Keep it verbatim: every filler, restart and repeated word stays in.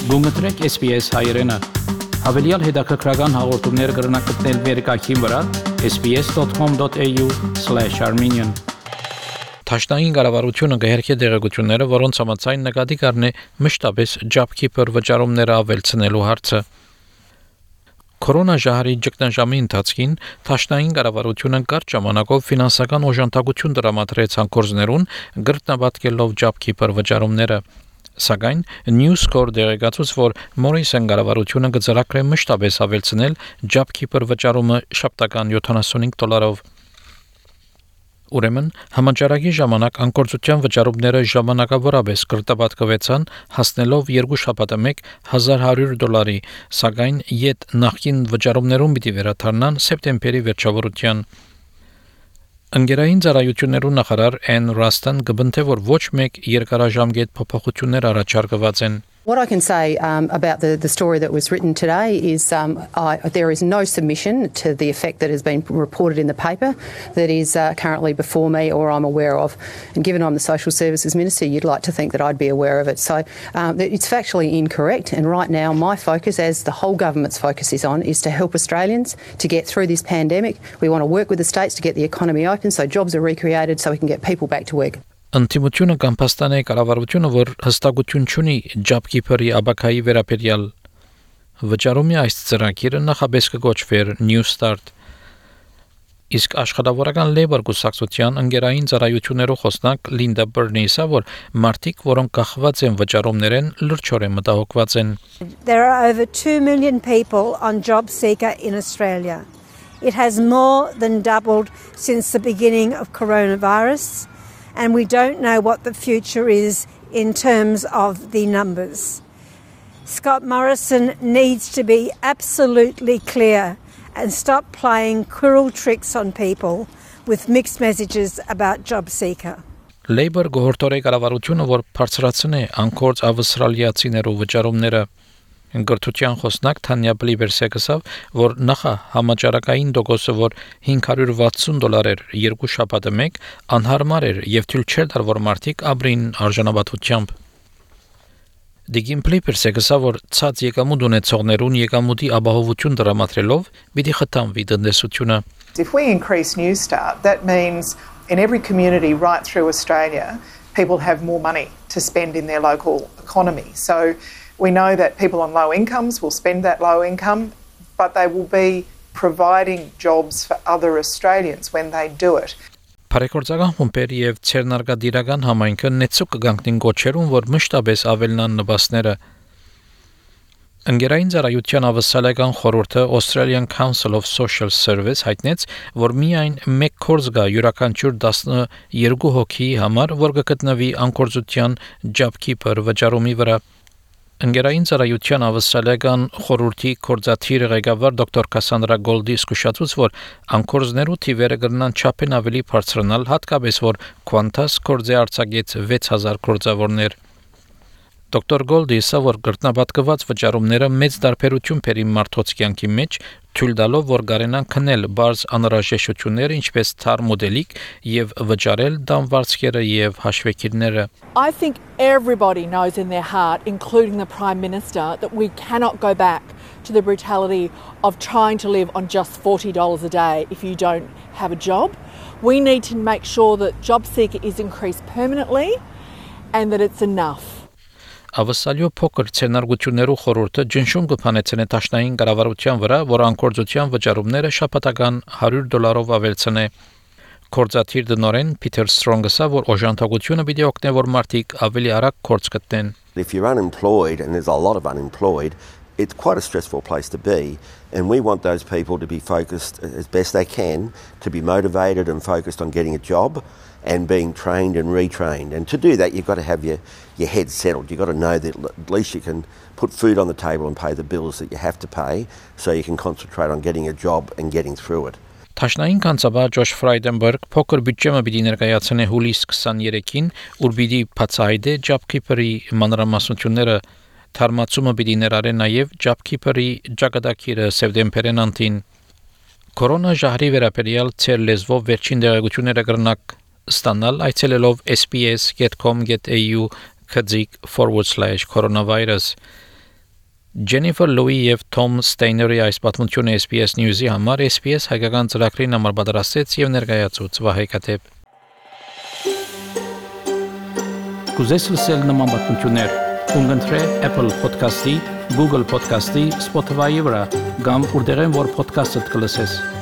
Գումտրեք S B S հայերենը։ Հավելյալ հետաքրքրական հաղորդումներ կգրնակցնել վերկայքին վրա s b s dot com dot a u slash armenian Թաշնային կառավարությունը կհերքի դեղեցությունները, որոնց համաձայն նկատի կառնի մշտապես JobKeeper վճարումները ավելցնելու հարցը։ Կորոնաժահրի ճգնաժամի ընթացքին Թաշնային կառավարությունը կարճ ժամանակով ֆինանսական օժանդակություն տրամադրեց հանկարծներուն գրտնաբատկելով JobKeeper վճարումները։ Սակայն News Corp դեղեկացուց, որ Morrison կառավարությունը կձեռագրի մշտապես ավելցնել JobKeeper վճարումը շաբթական յոթանասունհինգ դոլարով։ Ուրեմն համաճարակի ժամանակ անկորձության վճարումները ժամանակավորապես կրտաբատկվեցան, հասնելով երկու շաբաթը մեկ հազար հարյուր դոլարի, սակայն յետ նախկին վճարումներուն պիտի վերադառնան սեպտեմբերի վերջավորության։ Ընկերային ծառայություններու նախարար Ann Ruston կբնթե, որ ոչ մեկ երկարաժամկետ փոփոխություններ առաջարկված են։ What I can say um, about the, the story that was written today is um, I, there is no submission to the effect that has been reported in the paper that is uh, currently before me or I'm aware of. And given I'm the Social Services Minister, you'd like to think that I'd be aware of it. So um, it's factually incorrect. And right now, my focus, as the whole government's focus is on, is to help Australians to get through this pandemic. We want to work with the states to get the economy open so jobs are recreated so we can get people back to work. Ընտիմությունը կամ փաստանե կառավարությունը, որ հստակություն չունի JobKeeper-ի աբակայի վերաբերյալ վճարումի այս ծրագիրը նախապես կգոչվեր New Start։ Իսկ աշխատավորական Labour կուսակցության ընկերային ծառայություններով խոսնակ Linda Burney-ը, որ մարդիկ, որոնք կախված են վճարումներեն, լրջորեն մտահոգված են։ There are over two million people on JobSeeker in Australia. It has more than doubled since the beginning of coronavirus. And we don't know what the future is in terms of the numbers. Scott Morrison needs to be absolutely clear and stop playing cruel tricks on people with mixed messages about JobSeeker. Labour գողորտորե կառավարությունը, որ բարձրացնի անկորձ ավստրալիացիներու վճարումները, Ընկերության խոսնակ Թանյա Բլիբերսը ասավ, որ նախա համաճարակային դոկոսը, որ հինգ հարյուր վաթսուն դոլար էր երկու շաբաթը մեկ, անհարմար էր եւ թույլ չէր տար, որ մարդիկ ապրին արժանապատվությամբ։ Դիգին Բլիբերսը ասավ, որ ցած եկամուտ ունեցողներուն եկամուտի ապահովություն տրամադրելով պիտի խթանվի տնտեսությունը։ If we increase New Start, that means in every community right through Australia, people have more money to spend in their local economy. So we know that people on low incomes will spend that low income, but they will be providing jobs for other Australians when they do it. Բարեկորձական խումբերի եւ ցերնարգադիրական համայնքը նեցուկ կգանքնին գոչերուն, որ մշտապես ավելնան նպաստները։ Ընկերային ծառայության ավսալական խորհուրդը Australian Council of Social Service հայտնեց, որ միայն մեկ կորձ գա յուրաքանչյուր տասնյոթ հոգի համար, որ կգտնվի անկորձության JobKeeper վճարումի վրա։ Ընկերային ծառայության ավսալական խորհրդի կորձաթիր ղեկավար դոկտոր Կասանդրա Գոլդի զսկուշացուց, որ անկորձներու թիվերը կգնան չափեն ավելի բարձրանալ, հատկապես որ Qantas կորձի արձակեց վեց հազար կորձավորներ։ Դոկտոր Գոլդի ասա, որ գրտնաբատկված վճարումները մեծ դարբերություն բերի մարդոց կյանքի մեջ, թույլ տալով, որ կարենան քնել բարձ անհրաժեշտությունները, ինչպես թարմ մոդելիկ եւ վճարել դամվարձքերը եւ հաշվեկիրները։ I think everybody knows in their heart, including the Prime Minister, that we cannot go back to the brutality of trying to live on just forty dollars a day if you don't have a job. We need to make sure that JobSeeker is increased permanently and that it's enough. Ավսալյո փոքր ցենարգություններու խորհուրդը ջնշում կփանեցնե Թաշնային կառավարության վրա, որ անկորձության վճարումները շաբաթական հարյուր դոլարով ավելցնե։ Կորձաթիր դնորեն Peter Strong-ը ասա, որ օժանդակությունը պիտի օգնի, որ մարդիկ ավելի արագ կորձ գտնեն։ If you're unemployed, and there's a lot of unemployed, it's quite a stressful place to be, and we want those people to be focused as best they can, to be motivated and focused on getting a job and being trained and retrained. And to do that, you've got to have your, your head settled. You've got to know that at least you can put food on the table and pay the bills that you have to pay, so you can concentrate on getting a job and getting through it. Թաշնային կանցաբար Ջոշ Ֆրայդենբերգ փոքր բյուջեմը պիտի ներկայացնի հուլիս քսաներեքին, ուր պիտի բացահայտի JobKeeper-ի մանրամասնությունները, թարմացումը պիտի ներառի նաև JobKeeper-ի ճակատագիրը սեպտեմբերին անտին։ Կորոնաժահրի վերաբերյալ ցեր լեզվով վերջին դեղեցությունները կրնակ ստանալ այցելելով s b s dot com dot a u forward slash coronavirus Jennifer Louis եւ Tom Steiner-ի այս պատմությունը S B S News-ի համար S B S հայկական ծրագրին համար պատրաստեց եւ ներկայացուց Վահե Կաթեփ։ Կուզես լսել նման պատմություններ, կընտրե Apple Podcast-ի, Google Podcast-ի, Spotify-ի վրա, կամ որտեղեն որ podcast-ը կլսես։